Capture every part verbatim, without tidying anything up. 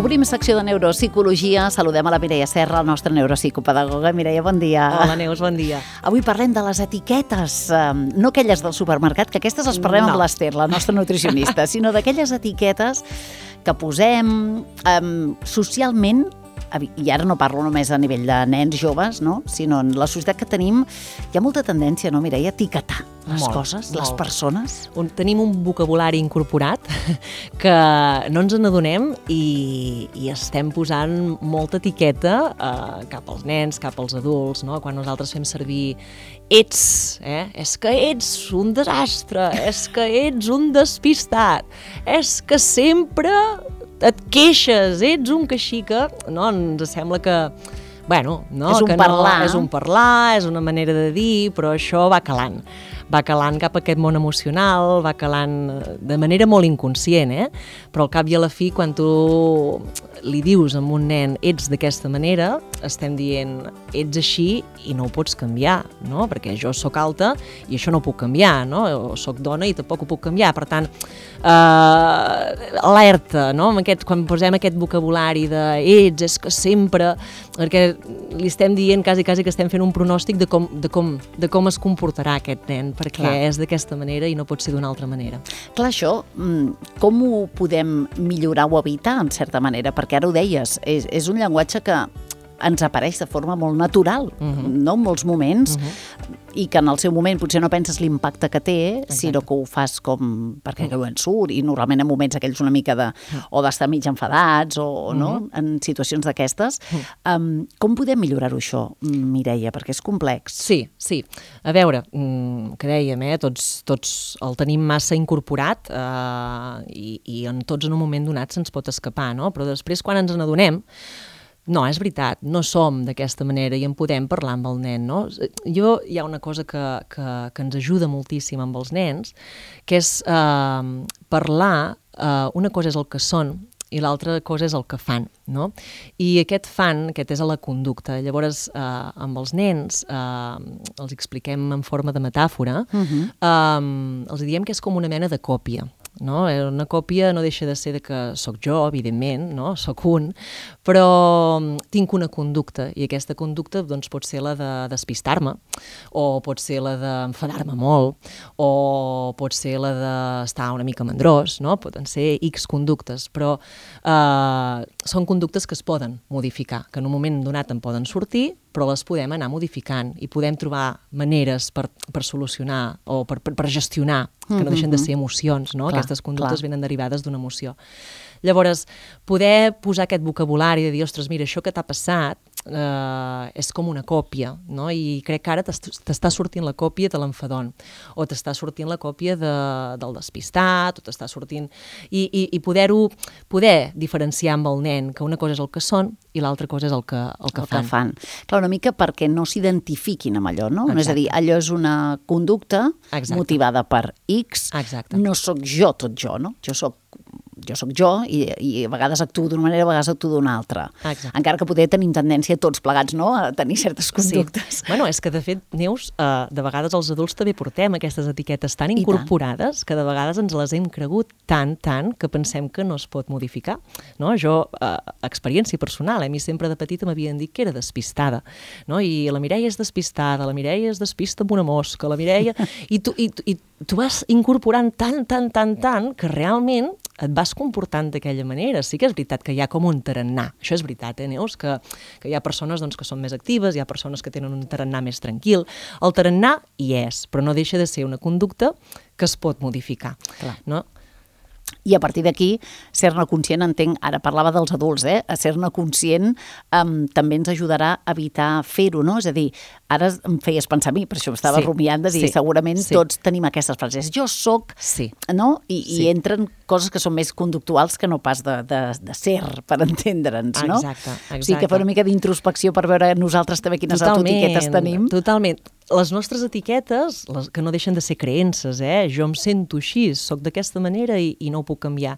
Obrim secció de neuropsicologia. Saludem a la Mireia Serra, la nostra neuropsicopedagoga. Mireia, bon dia. Hola, Neus, bon dia. Avui parlem de les etiquetes, no aquelles del supermercat, que aquestes les parlem no. amb l'Ester, la nostra nutricionista, sinó d'aquelles etiquetes que posem um, socialment, i ara no parlo només a nivell de nens joves, no? Sinó en la societat que tenim, hi ha molta tendència, no, Mireia, a etiquetar les molt, coses, molt. les persones. Un, tenim un vocabulari incorporat que no ens n'adonem i, i estem posant molta etiqueta eh, cap als nens, cap als adults, no? Quan nosaltres fem servir ets, eh? és que ets un desastre, és que ets un despistat, és que sempre et queixes, ets un queixica, no? Ens sembla que, bueno, no, és un que parlar. No, és un parlar, és una manera de dir, però això va calant. Va calant cap a aquest món emocional, va calant de manera molt inconscient, eh? Però al cap i a la fi, quan tu li dius a un nen ets d'aquesta manera, estem dient ets així i no ho pots canviar, no? Perquè jo sóc alta i això no ho puc canviar, no? O sóc dona i tampoc ho puc canviar. Per tant, eh, alerta, no? Amb aquest, quan posem aquest vocabulari de ets, és que sempre, perquè li estem dient quasi, quasi que estem fent un pronòstic de com, de com, de com es comportarà aquest nen, perquè Clar. és d'aquesta manera i no pot ser d'una altra manera. Clar, això, com ho podem millorar o evitar, en certa manera? Perquè ara ho deies, és, és un llenguatge que ens apareix de forma molt natural, uh-huh. no? En molts moments, uh-huh. i que en el seu moment potser no penses l'impacte que té, Exacte. sinó que ho fas com perquè uh-huh. en surt, i normalment en moments aquells una mica de, uh-huh. o d'estar mig enfadats, o uh-huh. no? En situacions d'aquestes. Uh-huh. Um, com podem millorar-ho això, Mireia? Perquè és complex. Sí, sí. A veure, que dèiem, eh? tots, tots el tenim massa incorporat eh, i, i en tots en un moment donat se'ns pot escapar, no? Però després quan ens n'adonem, no, és veritat, no som d'aquesta manera i en podem parlar amb el nen, no? Jo, hi ha una cosa que, que, que ens ajuda moltíssim amb els nens, que és eh, parlar, eh, una cosa és el que són i l'altra cosa és el que fan, no? I aquest fan, aquest és a la conducta. Llavors, eh, amb els nens, eh, els expliquem en forma de metàfora, uh-huh. eh, els diem que és com una mena de còpia, no? Una còpia no deixa de ser de que sóc jo, evidentment, no? Sóc un, però tinc una conducta i aquesta conducta doncs, pot ser la de despistar-me o pot ser la d'enfadar-me molt o pot ser la d'estar una mica mandrós, no? Poden ser X conductes, però eh, són conductes que es poden modificar, que en un moment donat en poden sortir, però les podem anar modificant i podem trobar maneres per, per solucionar o per, per, per gestionar, que no deixen de ser emocions, no? Clar, Aquestes conductes clar. venen derivades d'una emoció. Llavors, poder posar aquest vocabulari de dir, ostres, mira, això que t'ha passat eh, és com una còpia, no? I crec que ara t'està sortint la còpia de l'enfadon, o t'està sortint la còpia de, del despistat, o t'està sortint... I, i, i poder-ho, poder diferenciar amb el nen que una cosa és el que són i l'altra cosa és el que, el que el fan. Que fan. Clar, una mica perquè no s'identifiquin amb allò, no? Exacte. No és a dir, allò és una conducta Exacte. motivada per X, Exacte. no sóc jo tot jo, no? Jo sóc jo sóc jo i, i a vegades actuo d'una manera, a vegades actuo d'una altra. Exacte. Encara que poder tenim tendència tots plegats, no?, a tenir certes conductes. Sí. Bueno, és que de fet, Neus, eh, de vegades els adults també portem aquestes etiquetes tan incorporades que de vegades ens les hem cregut tant, tant, que pensem que no es pot modificar. No? Jo, eh, experiència personal, eh, a mi sempre de petita m'havien dit que era despistada, no? I la Mireia és despistada, la Mireia es despista amb una mosca, la Mireia... I tu, i, i tu vas incorporant tant, tant, tant, tant, que realment et vas comportant d'aquella manera. Sí que és veritat que hi ha com un tarannà. Això és veritat, eh, Neus? Que, que hi ha persones doncs, que són més actives, hi ha persones que tenen un tarannà més tranquil. El tarannà hi és, però no deixa de ser una conducta que es pot modificar. Clar. No? I a partir d'aquí, ser-ne conscient, entenc, ara parlava dels adults, eh? A ser-ne conscient um, també ens ajudarà a evitar fer-ho, no? És a dir, ara em feies pensar a mi, per això estava sí, rumiant de dir, sí, segurament sí. tots tenim aquestes frases. Jo soc, sí. no? I, sí. i entren coses que són més conductuals que no pas de, de, de ser, per entendre'ns, no? Exacte, exacte. O sigui, que fa una mica d'introspecció per veure nosaltres també quines autoetiquetes tenim. Totalment. Les nostres etiquetes, les que no deixen de ser creences, eh? Jo em sento així, soc d'aquesta manera i, i no ho puc canviar.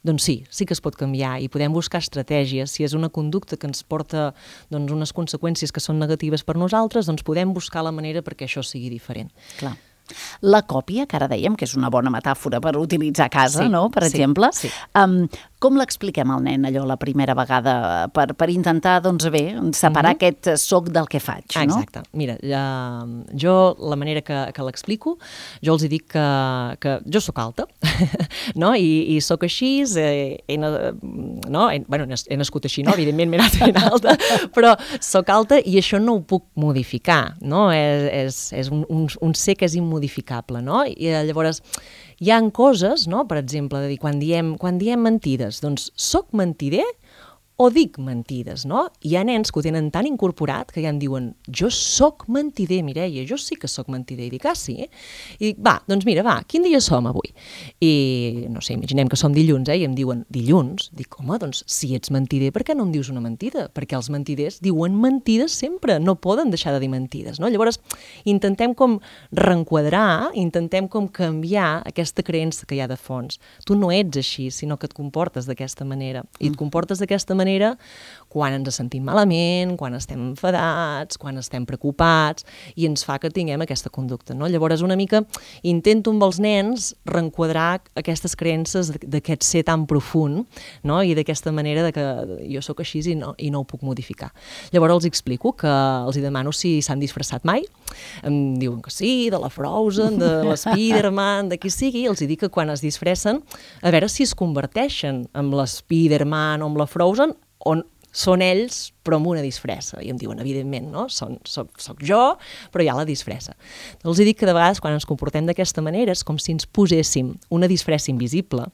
Doncs sí, sí que es pot canviar i podem buscar estratègies. Si és una conducta que ens porta doncs, unes conseqüències que són negatives per nosaltres, doncs podem buscar la manera perquè això sigui diferent. Clar. La còpia, que ara dèiem que és una bona metàfora per utilitzar a casa, sí, no? Per sí, exemple. Sí. Um, Com l'expliquem al nen, allò, la primera vegada, per, per intentar, doncs bé, separar mm-hmm. aquest soc del que faig, no? Exacte. Mira, ja, jo, la manera que, que l'explico, jo els dic que, que jo sóc alta, no? I, i sóc així, eh, he, no? He, bueno, he nascut així, no? Evidentment m'he anat ben alta, però sóc alta i això no ho puc modificar, no? És, és, és un, un, un ser que és immodificable, no? I llavors hi ha coses, no? Per exemple, de dir, quan diem, quan diem mentides, doncs soc mentider o dic mentides, no? Hi ha nens que ho tenen tan incorporat que ja em diuen, jo sóc mentider, Mireia, jo sí que sóc mentider. I dic, ah, sí? I dic, va, doncs mira, va, quin dia som avui? I, no sé, imaginem que som dilluns, eh? I em diuen, dilluns? Dic, home, doncs, si ets mentider, per què no em dius una mentida? Perquè els mentiders diuen mentides sempre, no poden deixar de dir mentides, no? Llavors, intentem com reenquadrar, intentem com canviar aquesta creença que hi ha de fons. Tu no ets així, sinó que et comportes d'aquesta manera. I et comportes d'aquesta manera quan ens sentim malament, quan estem enfadats, quan estem preocupats, i ens fa que tinguem aquesta conducta, no? Llavors, una mica intento amb els nens reenquadrar aquestes creences d'aquest ser tan profund, no? I d'aquesta manera de que jo sóc així i no, i no ho puc modificar. Llavors els explico que els demano si s'han disfressat mai, em diuen que sí, de la Frozen, de l'Spiderman, de qui sigui, i els dic que quan es disfressen, a veure si es converteixen en l'Spiderman o en la Frozen, on són ells, però amb una disfressa. I em diuen, evidentment, no? Són, soc, soc jo, però hi ha la disfressa. Els dic que de vegades, quan ens comportem d'aquesta manera, és com si ens poséssim una disfressa invisible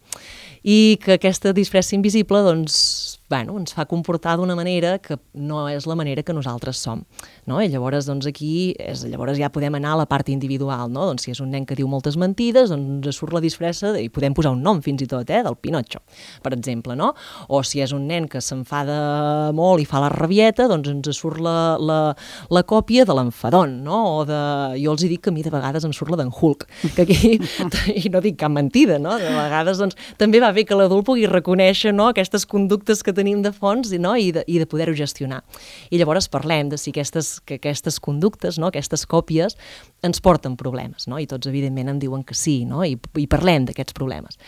i que aquesta disfressa invisible, doncs, bueno, ens fa comportar d'una manera que no és la manera que nosaltres som, no? I llavors, doncs, aquí, és, llavors ja podem anar a la part individual, no? Doncs si és un nen que diu moltes mentides, doncs ens surt la disfressa, i podem posar un nom fins i tot, eh, del Pinotxo, per exemple, no? O si és un nen que s'enfada molt i fa la rabieta, doncs ens surt la, la, la còpia de l'enfadon, no? O de... Jo els dic que a mi de vegades em surt la d'en Hulk, que aquí, i no dic cap mentida, no? De vegades, doncs, també va bé que l'adult pugui reconèixer, no? Aquestes conductes que tenim de fons i, no? I de, i de poder-ho gestionar. I llavors parlem de si aquestes, que aquestes conductes, no? Aquestes còpies ens porten problemes, no? I tots evidentment em diuen que sí, no? I, i parlem d'aquests problemes.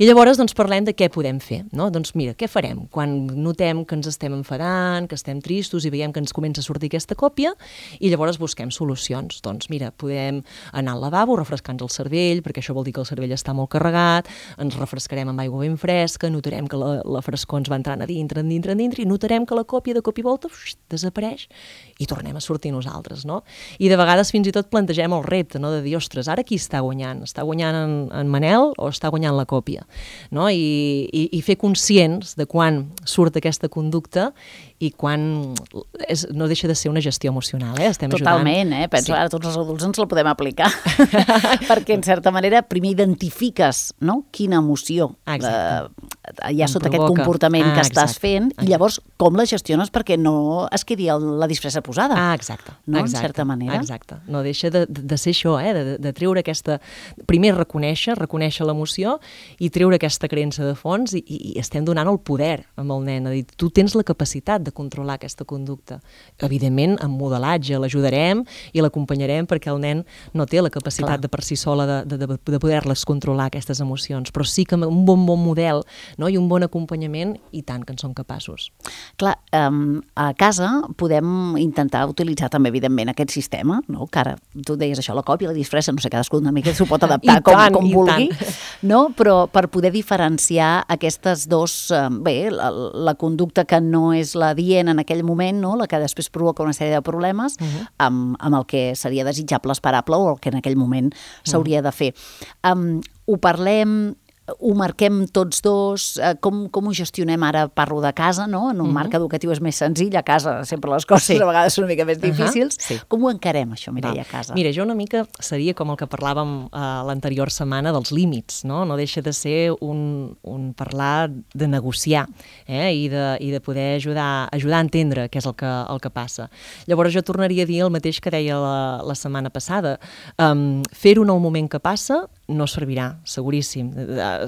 I llavors doncs parlem de què podem fer, no? Doncs mira, què farem quan notem que ens estem enfadant, que estem tristos i veiem que ens comença a sortir aquesta còpia, i llavors busquem solucions. Doncs mira, podem anar al lavabo, refrescar-nos el cervell, perquè això vol dir que el cervell està molt carregat, ens refrescarem amb aigua ben fresca, notarem que la, la frescor ens va entrant a dintre, en dintre, en dintre, i notarem que la còpia de cop i volta ux, desapareix i tornem a sortir nosaltres, no? I de vegades fins i tot plantegem el repte, no? De dir, ostres, ara qui està guanyant? Està guanyant en, en Manel o està guanyant la còpia? No? I, i, i fer conscients de quan surt aquesta conducta i quan és, no deixa de ser una gestió emocional, eh? Estem Totalment, ajudant. eh? Penso, sí. Ara tots els adults ens la podem aplicar, perquè en certa manera primer identifiques, no? Quina emoció eh, hi ha sota aquest comportament ah, que estàs exacte. fent, exacte. I llavors com la gestiones perquè no es quedi el, la disfressa posada. Ah, exacte. No? Exacte. En certa manera. Exacte. No deixa de, de ser això, eh? de, de treure aquesta... Primer reconèixer, reconèixer l'emoció i treure aquesta creença de fons i, i, i estem donant el poder amb el nen, a dir, tu tens la capacitat de controlar aquesta conducta. Evidentment, amb modelatge l'ajudarem i l'acompanyarem perquè el nen no té la capacitat Clar. de per si sola de, de, de, de poder-les controlar, aquestes emocions, però sí que amb un bon, bon model, no? I un bon acompanyament, i tant que en són capaços. Clar, um, a casa podem intentar utilitzar també, evidentment, aquest sistema, no? Que ara tu deies això, la còpia, la disfressa, no sé, cadascú una mica s'ho pot adaptar com, tant, com vulgui, no? Però per poder diferenciar aquestes dos, bé, la, la conducta que no és la dient en aquell moment, no? La que després provoca una sèrie de problemes, uh-huh. amb, amb el que seria desitjable, esperable, o el que en aquell moment s'hauria uh-huh. de fer. Um, ho parlem, ho marquem tots dos, eh, com, com ho gestionem ara, parlo de casa, no? En un uh-huh. marc educatiu és més senzill, a casa sempre les coses sí. a vegades són una mica més difícils. Uh-huh. Sí. Com ho encarem, això, Mireia, a casa? Mira, jo una mica seria com el que parlàvem eh, l'anterior setmana dels límits, no? No deixa de ser un, un parlar de negociar, eh? I, de, i de poder ajudar, ajudar a entendre què és el que, el que passa. Llavors jo tornaria a dir el mateix que deia la, la setmana passada. Um, fer-ho en el moment que passa no servirà, seguríssim.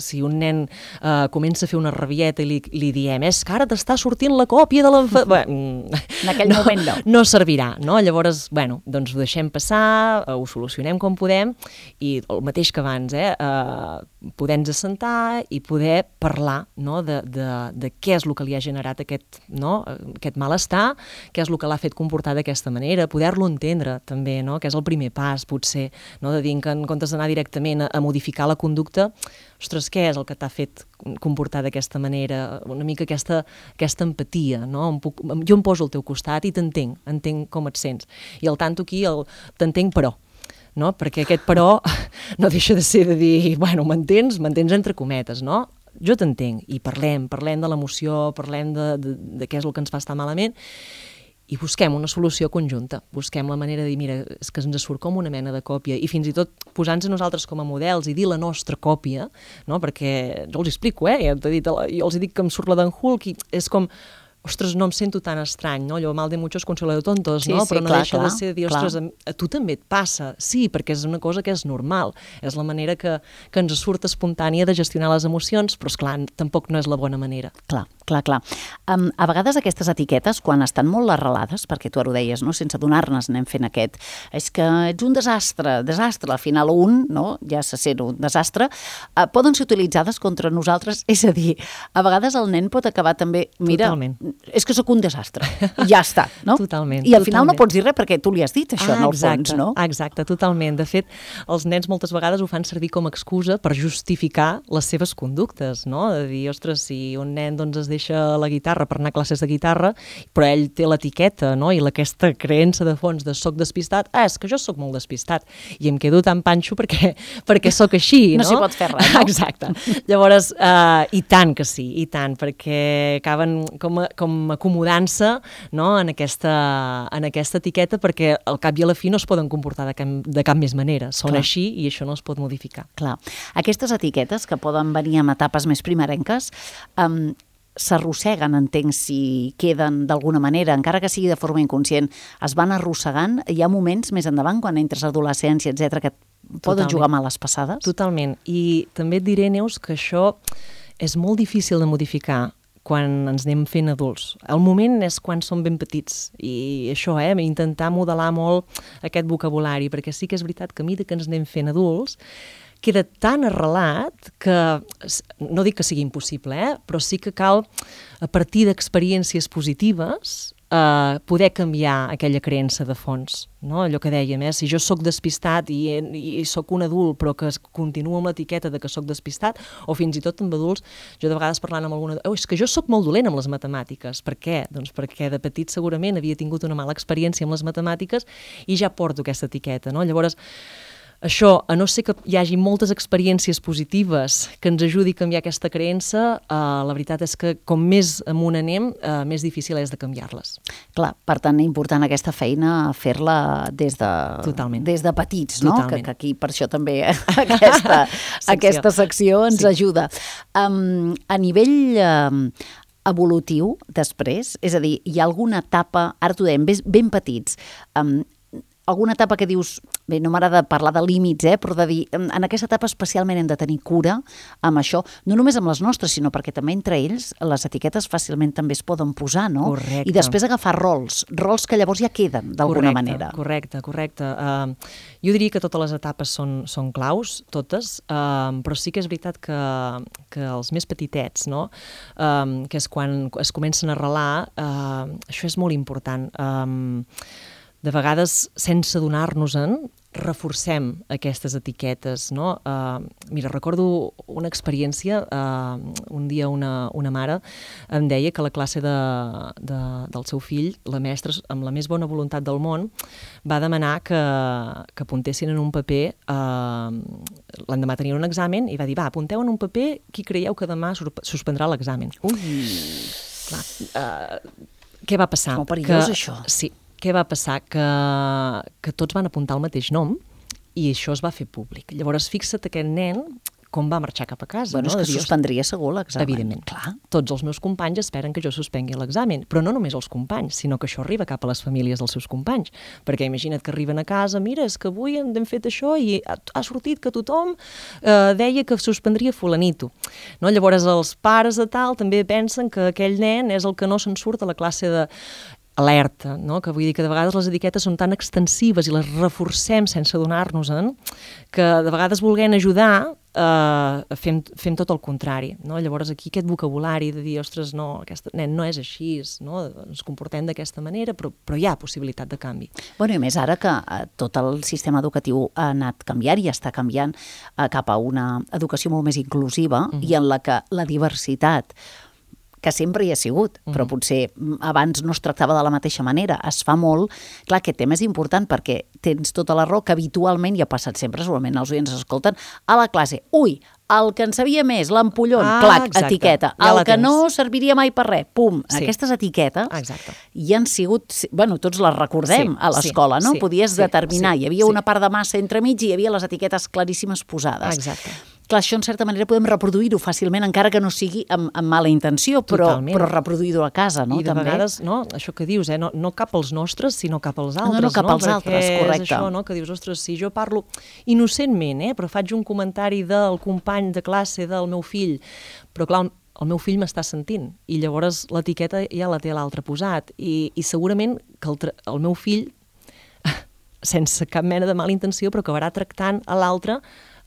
Si un nen uh, comença a fer una rabieta i li, li diem és que ara t'està sortint la còpia de l'enfadon... Bueno, en aquell no, moment no. No servirà, no? Llavors, bueno, doncs ho deixem passar, ho solucionem com podem i el mateix que abans, eh? Uh, poder-nos assentar i poder parlar, no? de, de, de què és el que li ha generat aquest, no? aquest malestar, què és el que l'ha fet comportar d'aquesta manera, poder-lo entendre també, no? Que és el primer pas, potser, no? De dir que en comptes d'anar directament a, a modificar la conducta, ostres, què és el que t'ha fet comportar d'aquesta manera? Una mica aquesta, aquesta empatia, no? Em puc, jo em poso al teu costat i t'entenc, entenc com et sents. I al tanto aquí, el, t'entenc però, no? Perquè aquest però no deixa de ser de dir, bueno, m'entens? M'entens entre cometes, no? Jo t'entenc, i parlem, parlem de l'emoció, parlem de, de, de què és el que ens fa estar malament, i busquem una solució conjunta, busquem la manera de dir, mira, és que ens surt com una mena de còpia, i fins i tot posant-nos a nosaltres com a models i dir la nostra còpia, no? Perquè jo els explico, eh? Jo, dit, jo els dic que em surt la d'en Hulk, i és com, ostres, no em sento tan estrany, no? Allò mal de muchos consuelo de tontos, sí, no? Sí, però no clar, deixa clar, de ser de dir, ostres, a, a tu també et passa. Sí, perquè és una cosa que és normal. És la manera que, que ens surt espontània de gestionar les emocions, però, esclar, tampoc no és la bona manera. Clar, clar, clar. Um, a vegades aquestes etiquetes, quan estan molt arrelades, perquè tu ara ho deies, no? Sense adonar-nos anem fent aquest, és que ets un desastre, desastre, al final un, no? Ja se sent un desastre, uh, poden ser utilitzades contra nosaltres, és a dir, a vegades el nen pot acabar també, mira, Totalment. És que sóc un desastre, i ja està, no? Totalment. I al final totalment. no pots dir res perquè tu li has dit això, ah, en el exacte, fons, no? Exacte, totalment. De fet, els nens moltes vegades ho fan servir com a excusa per justificar les seves conductes, no? De dir, ostres, si un nen doncs, es deixa la guitarra per anar a classes de guitarra, però ell té l'etiqueta, no? I aquesta creença de fons de soc despistat, ah, és que jo soc molt despistat, i em quedo tan panxo perquè, perquè soc així, no? No s'hi pot fer res, no? Exacte. Llavors, uh, i tant que sí, i tant, perquè acaben com a, com a acomodant-se, no? en, aquesta, en aquesta etiqueta, perquè al cap i a la fi no es poden comportar de cap, de cap més manera. Són Clar. Així i això no es pot modificar. Clar. Aquestes etiquetes que poden venir amb etapes més primerenques um, s'arrosseguen, entenc, si queden d'alguna manera, encara que sigui de forma inconscient, es van arrossegant. Hi ha moments més endavant, quan entres a adolescència, etcètera, que poden Totalment. Jugar males passades? Totalment. I també et diré, Neus, que això és molt difícil de modificar quan ens anem fent adults. El moment és quan som ben petits, i això, eh, intentar modelar molt aquest vocabulari, perquè sí que és veritat que a mesura que ens anem fent adults, queda tan arrelat que, no dic que sigui impossible, eh, però sí que cal, a partir d'experiències positives, Uh, poder canviar aquella creença de fons, no? Allò que dèiem, eh? Si jo sóc despistat i, i sóc un adult però que continuo amb l'etiqueta de que sóc despistat, o fins i tot amb adults, jo de vegades parlant amb alguna... Oh, és que jo sóc molt dolent amb les matemàtiques. Per què? Doncs perquè de petit segurament havia tingut una mala experiència amb les matemàtiques i ja porto aquesta etiqueta, no? Llavors, això, a no ser que hi hagi moltes experiències positives que ens ajudi a canviar aquesta creença, eh, la veritat és que com més amunt anem, eh, més difícil és de canviar-les. Clar, per tant, important aquesta feina fer-la des de, Totalment. des de petits, no? Que, Totalment. que aquí per això també aquesta, secció. aquesta secció ens Sí. ajuda. Um, a nivell um, evolutiu, després, és a dir, hi ha alguna etapa, ara t'ho dèiem, ben, ben petits, um, alguna etapa que dius, bé, no m'agrada parlar de límits, eh, però de dir, en aquesta etapa especialment hem de tenir cura amb això, no només amb les nostres, sinó perquè també entre ells les etiquetes fàcilment també es poden posar, no? Correcte. I després agafar rols, rols que llavors ja queden d'alguna manera. Correcte, correcte. Uh, jo diria que totes les etapes són, són claus, totes, uh, però sí que és veritat que, que els més petitets, no? Uh, que és quan es comencen a arrelar, uh, això és molt important. Uh, de vegades, sense donar-nos-en, reforcem aquestes etiquetes, no? Uh, mira, recordo una experiència, uh, un dia una, una mare em deia que a la classe de, de, del seu fill, la mestra, amb la més bona voluntat del món, va demanar que, que apuntessin en un paper, uh, l'endemà tenien un examen, i va dir, va, apunteu en un paper qui creieu que demà suspendrà l'examen. Ui! Clar, uh, què va passar? Com perillós, que, això. Sí. Què va passar? Que, que tots van apuntar el mateix nom i això es va fer públic. Llavors, fixa't aquest nen com va marxar cap a casa. Bueno, no? és que suspendria segur l'examen. Evidentment. Clar. Tots els meus companys esperen que jo suspengui l'examen, però no només els companys, sinó que això arriba cap a les famílies dels seus companys. Perquè imagina't que arriben a casa, mira, és que avui hem fet això i ha, ha sortit que tothom eh, deia que suspendria fulanito. No? Llavors, els pares de tal també pensen que aquell nen és el que no se'n surt a la classe de... alerta, no? Que vull dir que de vegades les etiquetes són tan extensives i les reforcem sense adonar-nos-en, que de vegades volent ajudar Uh, fem, fem tot el contrari, no? Llavors aquí aquest vocabulari de dir, ostres, no, aquest nen no és així, no? Ens comportem d'aquesta manera, però, però hi ha possibilitat de canvi. Bueno, i més ara que uh, tot el sistema educatiu ha anat canviant i està canviant uh, cap a una educació molt més inclusiva uh-huh. i en la que la diversitat que sempre hi ha sigut, uh-huh. però potser abans no es tractava de la mateixa manera, es fa molt. Clar, aquest tema és important perquè tens tota la raó que habitualment, i ha passat sempre, segurament els oients escolten, a la classe, ui, el que en sabia més, l'ampollon, ah, clac, exacte. Etiqueta, ja el que tens. No serviria mai per res, pum, sí. Aquestes etiquetes exacte. Hi han sigut, bueno, tots les recordem sí, a l'escola, sí, no? Sí, Podies sí, determinar, sí, hi havia sí. una part de massa entremig i hi havia les etiquetes claríssimes posades. Exacte. Clar, això en certa manera podem reproduir-ho fàcilment, encara que no sigui amb, amb mala intenció, però, però reproduir-ho a casa, no? I de també. Vegades, no, això que dius, eh, no, no cap als nostres, sinó cap als altres. No, no cap no? als altres, Perquè correcte. És això, no?, que dius, ostres, si jo parlo innocentment, eh, però faig un comentari del company de classe del meu fill, però clar, el meu fill m'està sentint, i llavors l'etiqueta ja la té l'altre posat, i, i segurament que el, el meu fill, sense cap mena de mala intenció, però acabarà tractant a l'altre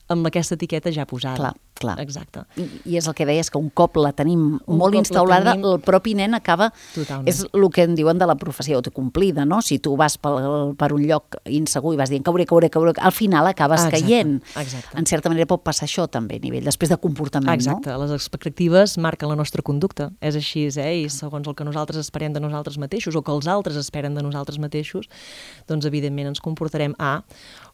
amb aquesta etiqueta ja posada. Clar, clar. Exacte. I, I és el que deies, que un cop la tenim un molt instaurada, tenim... el propi nen acaba... Totalment. És el que en diuen de la professió autocomplida, no? Si tu vas per, per un lloc insegur i vas dient cauré, cauré, cauré, al final acabes exacte, caient. Exacte. En certa manera pot passar això també a nivell, després de comportament, exacte. No? Les expectatives marquen la nostra conducta. És així, eh? I segons el que nosaltres esperem de nosaltres mateixos o que els altres esperen de nosaltres mateixos, doncs evidentment ens comportarem A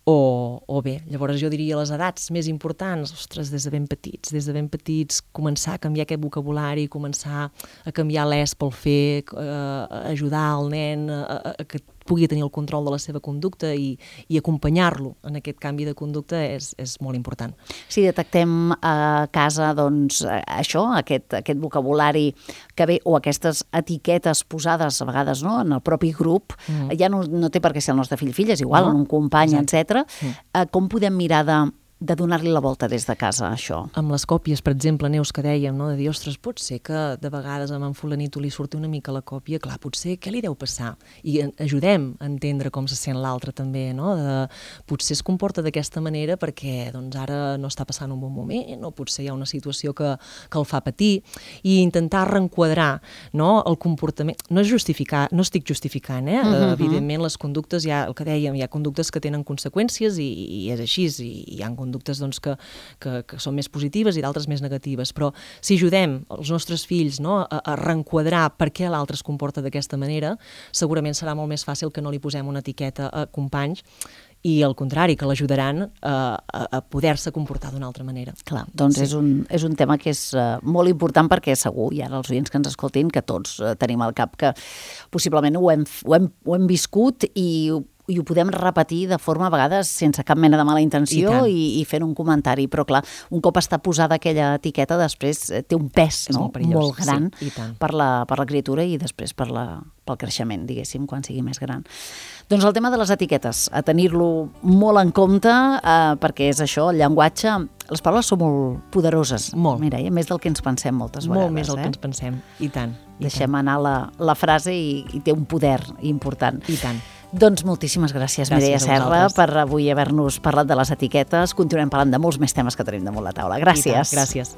o, o bé. Llavors jo diria les edats més importants, ostres, des de ben petits, des de ben petits començar a canviar aquest vocabulari, començar a canviar l'es pel fer, eh, ajudar el nen a, a, a que pugui tenir el control de la seva conducta i, i acompanyar-lo en aquest canvi de conducta és, és molt important. Si detectem a casa, doncs, això, aquest, aquest vocabulari que ve, o aquestes etiquetes posades a vegades, no?, en el propi grup, mm. ja no, no té per què ser el nostre fill, fill és igual, no? Un company, etcètera. Mm. Eh, com podem mirar de... de donar-li la volta des de casa, això? Amb les còpies, per exemple, Neus, que dèiem, no? De dir, ostres, pot ser que de vegades amb en fulanito li surti una mica la còpia, clar, potser què li deu passar? I ajudem a entendre com se sent l'altre també, no? De, potser es comporta d'aquesta manera perquè doncs, ara no està passant un bon moment, o potser hi ha una situació que, que el fa patir, i intentar reenquadrar, no?, el comportament. No és justificar, no estic justificant, eh? Uh-huh. Evidentment, les conductes, ja, el que dèiem, hi ha conductes que tenen conseqüències i, i és així, i hi ha conductes doncs, que, que, que són més positives i d'altres més negatives, però si ajudem els nostres fills, no?, a, a reenquadrar per què l'altre es comporta d'aquesta manera, segurament serà molt més fàcil que no li posem una etiqueta a companys i al contrari, que l'ajudaran a, a, a poder-se comportar d'una altra manera. Clar, doncs sí. és, un, és un tema que és uh, molt important perquè segur, i ara els oients que ens escoltin, que tots uh, tenim al cap que possiblement ho hem, ho hem, ho hem viscut i i ho podem repetir de forma a vegades sense cap mena de mala intenció i, i, i fent un comentari, però clar, un cop està posada aquella etiqueta després té un pes, no?, molt, molt gran sí, per, la, per la criatura i després per la, pel creixement, diguéssim, quan sigui més gran. Doncs el tema de les etiquetes, a tenir-lo molt en compte, eh, perquè és això, el llenguatge, les paraules són molt poderoses. Molt. Mira, eh? Més del que ens pensem moltes vegades. Molt més del eh? que ens pensem, i tant. I Deixem tant. anar la, la frase i, i té un poder important. I tant. Doncs moltíssimes gràcies, gràcies Mireia Serra, per avui haver-nos parlat de les etiquetes. Continuem parlant de molts més temes que tenim damunt la taula. Gràcies. Gràcies.